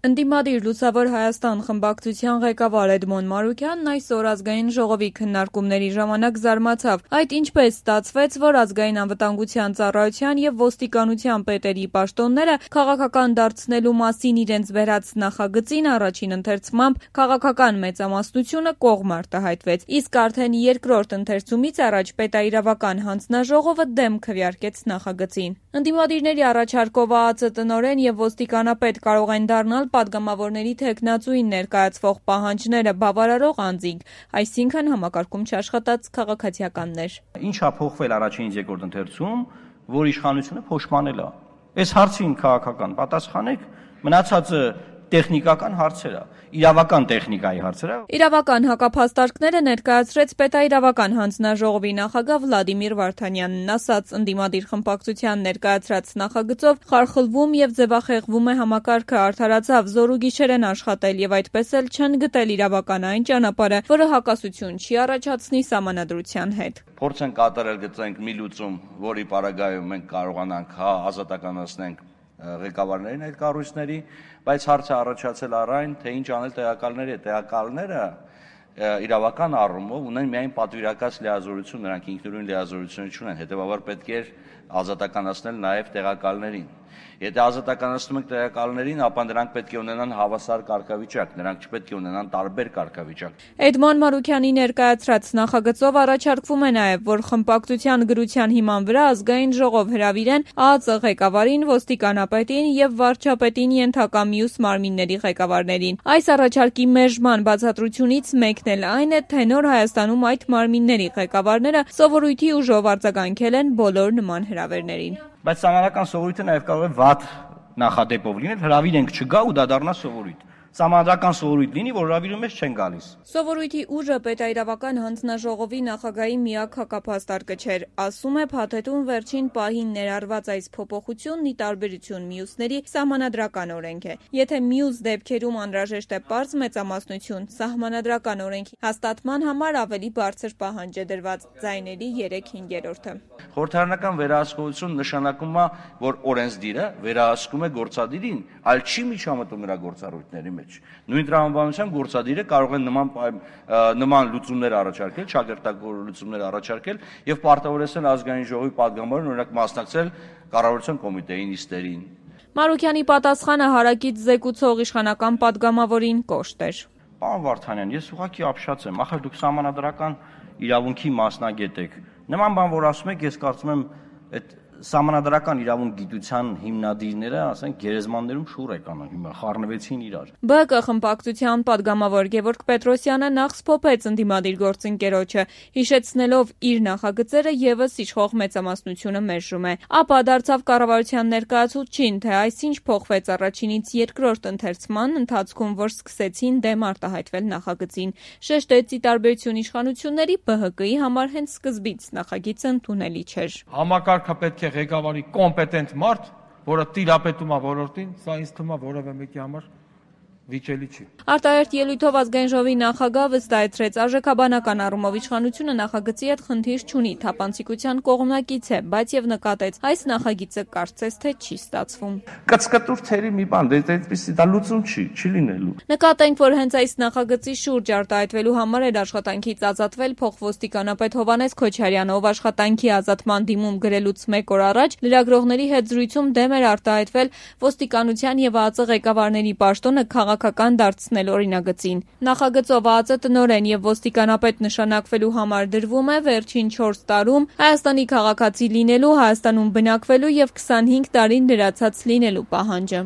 Ընդդիմադիր Լուսավոր Հայաստան խմբակցության ղեկավար Էդմոն Մարուքյանն այսօր ազգային ժողովի քննարկումների ժամանակ զարմացավ, այդ ինչպես ստացվեց, որ ազգային անվտանգության ծառայության եւ ոստիկանության պետերի պաշտոնները քաղաքական դարձնելու մասին իրենց վերած նախագծին առաջին ընթերցմամբ քաղաքական մեծամասնությունը կողմ արտահայտվեց, իսկ արդեն երկրորդ ընթերցումից առաջ պետաիրավական հանձնաժողովը դեմ քվեարկեց նախագծին։ Ընդդիմադիրների առաջարկով ԱԱԾ տնօրեն եւ ոստիկանապետ կարող են դառնալ պատգամավորների թեկնածուին ներկայացվող պահանջները բավարարող անձինք, այսինքն համակարգում չաշխատած քաղաքացիականներ։ Ինչ է փոխվել առաջինից երկրորդ ընթերցում, որ իշխանությունը փոշմանել է։ Այս հարցին քաղաքական պատասխանեք, մնացածը տեխնիկական հարցեր է, իրավական տեխնիկայի հարցեր է։ Իրավական հակափաստարկները ներկայացրեց պետաիրավական հանձնաժողովի նախագահ Վլադիմիր Վարդանյանն, ասաց ընդդիմադիր խմբակցության ներկայացրած նախագծով խարխլվում եւ ձևախեղվում է համակարգը, արդարացավ, զոր ու գիշեր են աշխատել եւ այդպես էլ չեն գտել իրավական այն ճանապարհը, որը հակասություն չի առաջացնի սահմանադրության հետ։ Փորձ են կատարել գծենք մի լուծում, որի պարագայում մենք կարողանանք ազատականացնենք ղեկավարներին այդ կառույցների, բայց հարցը առաջացել առայն, թե ինչ անել տեղակալների, տեղակալները իրավական առումով ունեն միայն պատվիրակած լիազորություն, նրանք ինքնուրույն լիազորություն չունեն, հետևաբար պետք է ազատականացնել նաև տեղակալներին։ Եթե ազատականացնում ենք տեղակալներին, ապա նրանք պետք է ունենան հավասար կարգավիճակ, նրանք չպետք է ունենան տարբեր կարգավիճակ։ Էդմոն Մարուքյանի ներկայացրած նախագծով առաջարկվում է նաև, որ խմբակցության գրության հիման վրա ազգային ժողով հրավիրեն ԱԱԾ ղեկավարին, ոստիկանապետին եւ վարչապետին ենթակա մյուս մարմինների ղեկավարներին։ Այս առաջարկի մերժման բացատրությունից մեկն էլ այն է, թե նոր Հայաստանում այդ մարմինների ղեկավարները սովորույթի ուժով արձագանքել են բոլոր նման հրավերներին։ Բայց սահմանադրական սովորույթը նաև կարող է վատ նախադեպով լինել, հրավիրենք չգա ու դա դառնա սովորույթ։ Սահմանադրական սովորույթ լինի, որ հրավիրում ես չեն գալիս։ Սովորույթի ուժը պետաիրավական հանձնաժողովի նախագահի միակ հակափաստարկը չէր, ասում է փաթեթում վերջին պահին ներառված այս փոփոխությունն ի տարբերություն մյուսների սահմանադրական օրենք է։ Եթե մյուս դեպքերում անհրաժեշտ է պարզ մեծամասնություն, սահմանադրական օրենքի հաստատման համար ավելի բարձր պահանջ է դրված՝ ձայների 3/5-ը։ Խորհրդարանական վերահսկողություն նշանակում է, որ օրենսդիրը վերահսկում է գործադիրին, այլ չի միջամտում նրա գործառույթների մեջ։ Նույն տրամաբանությամբ գործադիրը կարող է նման լուծումներ առաջարկել, ճակերտագոր լուծումներ առաջարկել եւ պարտավորեցնել ազգային ժողովի պատգամավորին օրինակ մասնակցել կառավարության կոմիտեի նիստերին։ Մարուքյանի պատասխանը հարակից զեկուցող իշխանական պատգամավորին կոշտ էր։ Պարոն Վարդանյան, ես ուղղակի ապշած եմ, ախր դուք սահմանադրական իրավունքի մասնագետ եք։ Նման բան որ ասում եք, ես կարծում եմ այդ սահմանադրական իրավունք գիտության հիմնադիրները, ասենք, գերեզմաններում շուռ եկան, հիմա խառնվեցին իրար։ ԲՀԿ խմբակցության պատգամավոր Գևորգ Պետրոսյանը նախ սփոփեց ընդդիմադիր գործընկերոջը, հիշեցնելով իր նախագծերը եւս իշխող մեծամասնությունը մերժում է։ Ապա դարձավ կառավարության ներկայացուցչին, թե այսինչ փոխվեց առաջինից երկրորդ ընթերցման ընթացքում, որ սկսեցին դեմ արտահայտվել նախագծին։ Շեշտեց ի տարբերություն իշխանությունների ԲՀԿ-ի համար հենց սկզբից նախագիծը ընդունելի չէր։ Համակարգը պետք է ղեկավարի կոմպետենտ մարդ, որը տիրապետում է ոլորտին, սա ինձ թվում է որևէ մեկի համար վիճելի չի։ Արտահերթ ելույթով ազգային ժողովի նախագահ վստահեցրեց, արժեքաբանական առումով իշխանությունը նախագծի հետ խնդիր չունի, թափանցիկության կողմնակից է, բայց եւ նկատեց, այս նախագիծը կարծես թե չի ստացվում։ Կծկտուր թերի մի բան, այդպեսի դա լուծում չի լինելու։ Նկատենք, որ հենց այս նախագծի շուրջ արտահայտվելու համար էր աշխատանքից ազատվել փոխոստիկանապետ Հովհաննես Քոչարյանը, ով աշխատանքի ազատման դիմում գրելուց 1 օր առաջ լրագրողների հետ զրույցում դեմ էր արտահայտվել ոստիկանության եւ ԱԱԾ ղեկավարների պաշտոնը քաղաքական դարձնել օրինագծին։ Նախագծով ԱԱԾ տնօրեն եւ ոստիկանապետ նշանակվելու համար դրվում է վերջին 4 տարում Հայաստանի քաղաքացի լինելու, Հայաստանում բնակվելու եւ 25 տարին լրացած լինելու պահանջը։